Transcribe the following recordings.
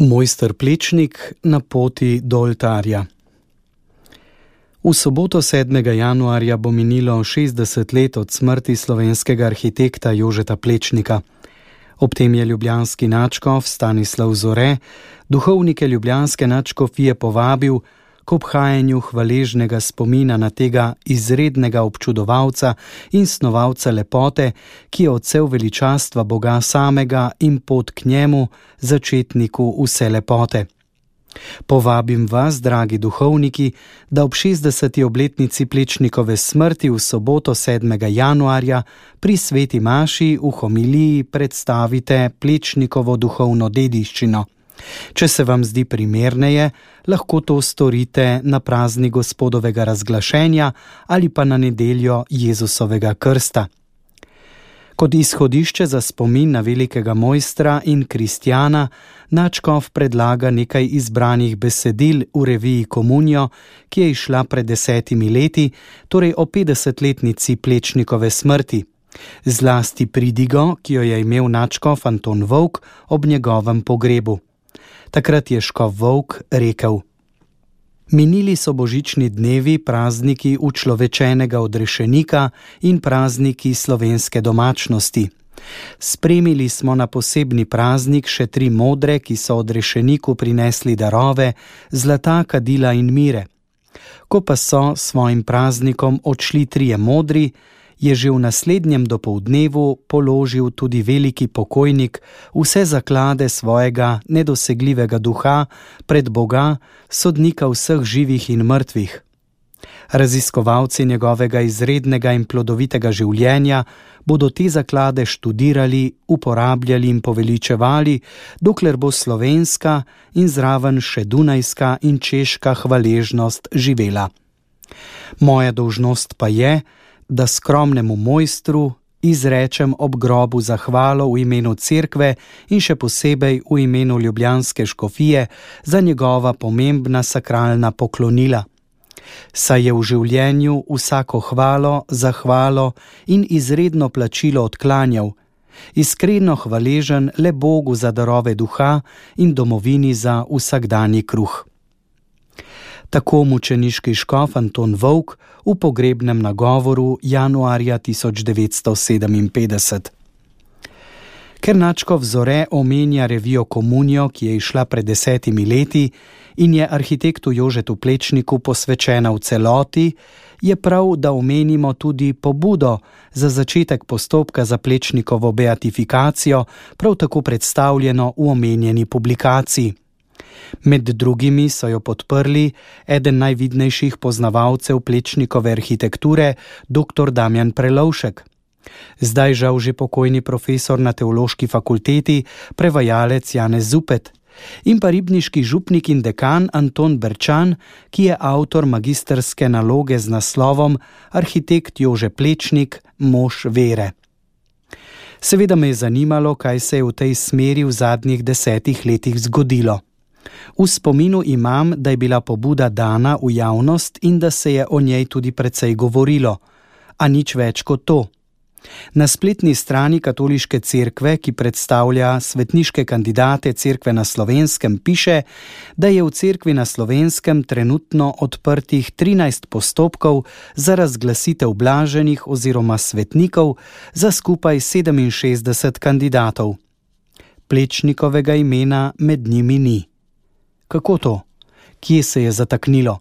Mojster Plečnik na poti do oltarja. V soboto 7. januarja bo minilo 60 let od smrti slovenskega arhitekta Jožeta Plečnika. Ob tem je ljubljanski nadškof Stanislav Zore duhovnike ljubljanske nadškofije povabil k obhajanju hvaležnega spomina na tega izrednega občudovalca in snovalca lepote, ki je odsev veličastva Boga samega in pot k njemu, začetniku vse lepote. Povabim vas, dragi duhovniki, da ob 60. obletnici Plečnikove smrti v soboto 7. januarja pri sveti maši v homiliji predstavite Plečnikovo duhovno dediščino. Če se vam zdi primerneje, lahko to storite na praznik Gospodovega razglašenja ali pa na nedeljo Jezusovega krsta. Kot izhodišče za spomin na velikega mojstra in kristjana, nadškof predlaga nekaj izbranih besedil v reviji Komunijo, ki je izšla pred 10 leti, torej o 50-letnici Plečnikove smrti. Zlasti pridigo, ki jo je imel nadškof Anton Vovk ob njegovem pogrebu. Takrat je škof Vovk rekel: Minili so božični dnevi, prazniki učlovečenega odrešenika in prazniki slovenske domačnosti. Spremili smo na posebni praznik še 3 modre, ki so odrešeniku prinesli darove, zlata, kadila in mire. Ko pa so svojim praznikom odšli 3 modri, je že v naslednjem dopoldnevu položil tudi veliki pokojnik vse zaklade svojega nedosegljivega duha pred Boga, sodnika vseh živih in mrtvih. Raziskovalci njegovega izrednega in plodovitega življenja bodo te zaklade študirali, uporabljali in poveličevali, dokler bo slovenska in zraven še dunajska in češka hvaležnost živela. Moja dolžnost pa je, da skromnemu mojstru izrečem ob grobu zahvalo v imenu cerkve in še posebej v imenu ljubljanske škofije za njegova pomembna sakralna poklonila. Saj je v življenju vsako hvalo, zahvalo in izredno plačilo odklanjal, iskreno hvaležen le Bogu za darove duha in domovini za vsakdanji kruh. Tako mučeniški škof Anton Vovk v pogrebnem nagovoru januarja 1957. Ker nadškof Zore omenja revijo Komunijo, ki je izšla pred 10 leti in je arhitektu Jožetu Plečniku posvečena v celoti, je prav, da omenimo tudi pobudo za začetek postopka za Plečnikovo beatifikacijo, prav tako predstavljeno v omenjeni publikaciji. Med drugimi so jo podprli eden najvidnejših poznavalcev Plečnikove arhitekture, dr. Damjan Prelovšek. Zdaj žal že pokojni profesor na teološki fakulteti, prevajalec Janez Zupet, in pa ribniški župnik in dekan Anton Berčan, ki je avtor magistrske naloge z naslovom Arhitekt Jože Plečnik, mož vere. Seveda me je zanimalo, kaj se je v tej smeri v zadnjih 10 letih zgodilo. V spominu imam, da je bila pobuda dana v javnost in da se je o njej tudi precej govorilo, a nič več kot to. Na spletni strani Katoliške cerkve, ki predstavlja svetniške kandidate cerkve na Slovenskem, piše, da je v cerkvi na Slovenskem trenutno odprtih 13 postopkov za razglasitev blaženih oziroma svetnikov za skupaj 67 kandidatov. Plečnikovega imena med njimi ni. Kako to? Kje se je zataknilo?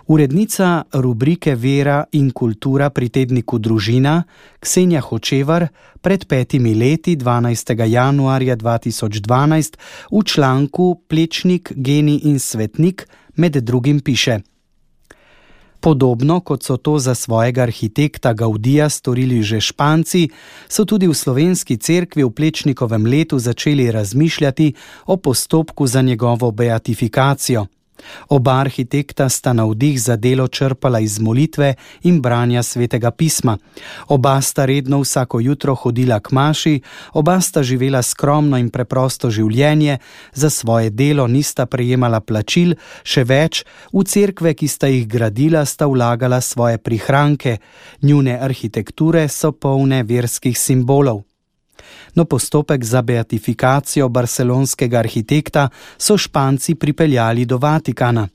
Urednica rubrike Vera in kultura pri tedniku Družina, Ksenja Hočevar, pred 5 leti, 12. januarja 2012, v članku Plečnik, genij in svetnik med drugim piše: Podobno kot so to za svojega arhitekta Gaudija storili že Španci, so tudi v slovenski cerkvi v Plečnikovem letu začeli razmišljati o postopku za njegovo beatifikacijo. Oba arhitekta sta navdih za delo črpala iz molitve in branja svetega pisma. Oba sta redno vsako jutro hodila k maši, oba sta živela skromno in preprosto življenje, za svoje delo nista prejemala plačil, še več, v cerkve, ki sta jih gradila, sta vlagala svoje prihranke, njune arhitekture so polne verskih simbolov. No, postopek za beatifikacijo barcelonskega arhitekta so Španci pripeljali do Vatikana.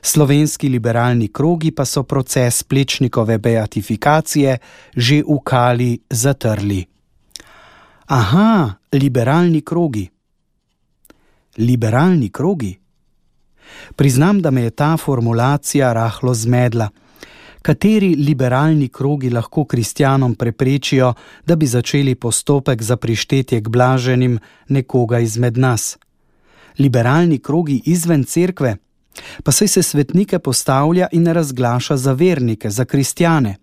Slovenski liberalni krogi pa so proces Plečnikove beatifikacije že v kali zatrli. Aha, liberalni krogi. Liberalni krogi? Priznam, da me je ta formulacija rahlo zmedla. Kateri liberalni krogi lahko kristjanom preprečijo, da bi začeli postopek za prištetje k blaženim nekoga izmed nas? Liberalni krogi izven cerkve? Pa saj se svetnike postavlja in razglaša za vernike, za kristjane.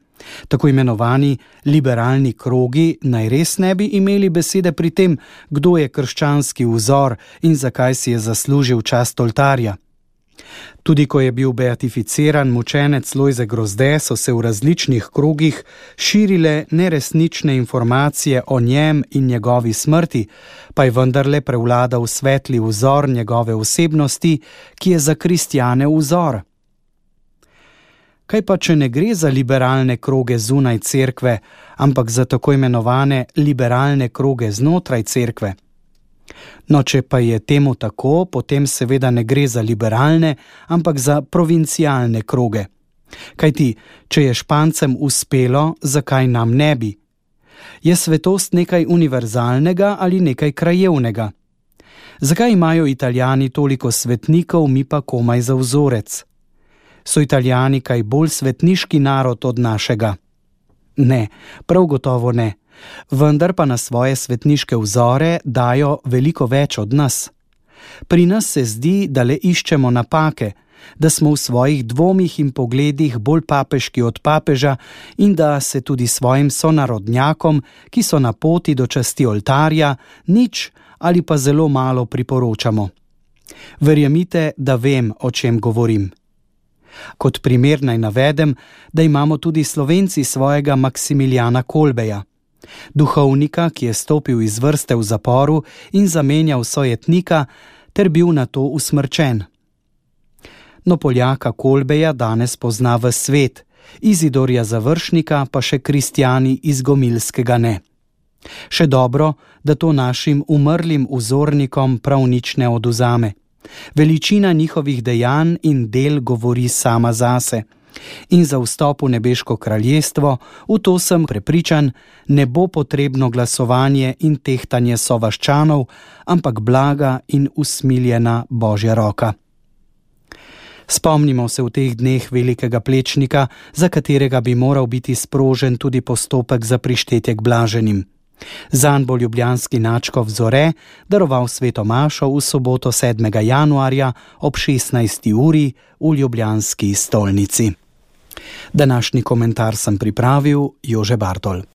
Tako imenovani liberalni krogi naj res ne bi imeli besede pri tem, kdo je krščanski vzor in zakaj si je zaslužil čast oltarja. Tudi ko je bil beatificiran mučenec Lojze Grozde, so se v različnih krogih širile neresnične informacije o njem in njegovi smrti, pa je vendarle prevladal svetli vzor njegove osebnosti, ki je za kristjane vzor. Kaj pa, če ne gre za liberalne kroge zunaj cerkve, ampak za tako imenovane liberalne kroge znotraj cerkve? No, če pa je temu tako, potem seveda ne gre za liberalne, ampak za provincialne kroge. Kajti, če je Špancem uspelo, zakaj nam ne bi? Je svetost nekaj univerzalnega ali nekaj krajevnega? Zakaj imajo Italijani toliko svetnikov, mi pa komaj za vzorec? So Italijani kaj bolj svetniški narod od našega? Ne, prav gotovo ne. Vendar pa na svoje svetniške vzore dajo veliko več od nas. Pri nas se zdi, da le iščemo napake, da smo v svojih dvomih in pogledih bolj papeški od papeža in da se tudi svojim sonarodnjakom, ki so na poti do časti oltarja, nič ali pa zelo malo priporočamo. Verjemite, da vem, o čem govorim. Kot primer naj navedem, da imamo tudi Slovenci svojega Maksimilijana Kolbeja, duhovnika, ki je stopil iz vrste v zaporu in zamenjal sojetnika ter bil nato usmrčen. No, Poljaka Kolbeja danes pozna ves svet, Izidorja Završnika pa še kristjani iz Gomilskega ne. Še dobro, da to našim umrlim vzornikom prav nič ne odvzame. Veličina njihovih dejanj in del govori sama zase. In za vstop v nebeško kraljestvo, v to sem prepričan, ne bo potrebno glasovanje in tehtanje sovaščanov, ampak blaga in usmiljena Božja roka. Spomnimo se v teh dneh velikega Plečnika, za katerega bi moral biti sprožen tudi postopek za prištetje k blaženim. Zanj bo ljubljanski nadškof Zore daroval sveto mašo v soboto 7. januarja ob 16. uri v ljubljanski stolnici. Današnji komentar sem pripravil Jože Bartol.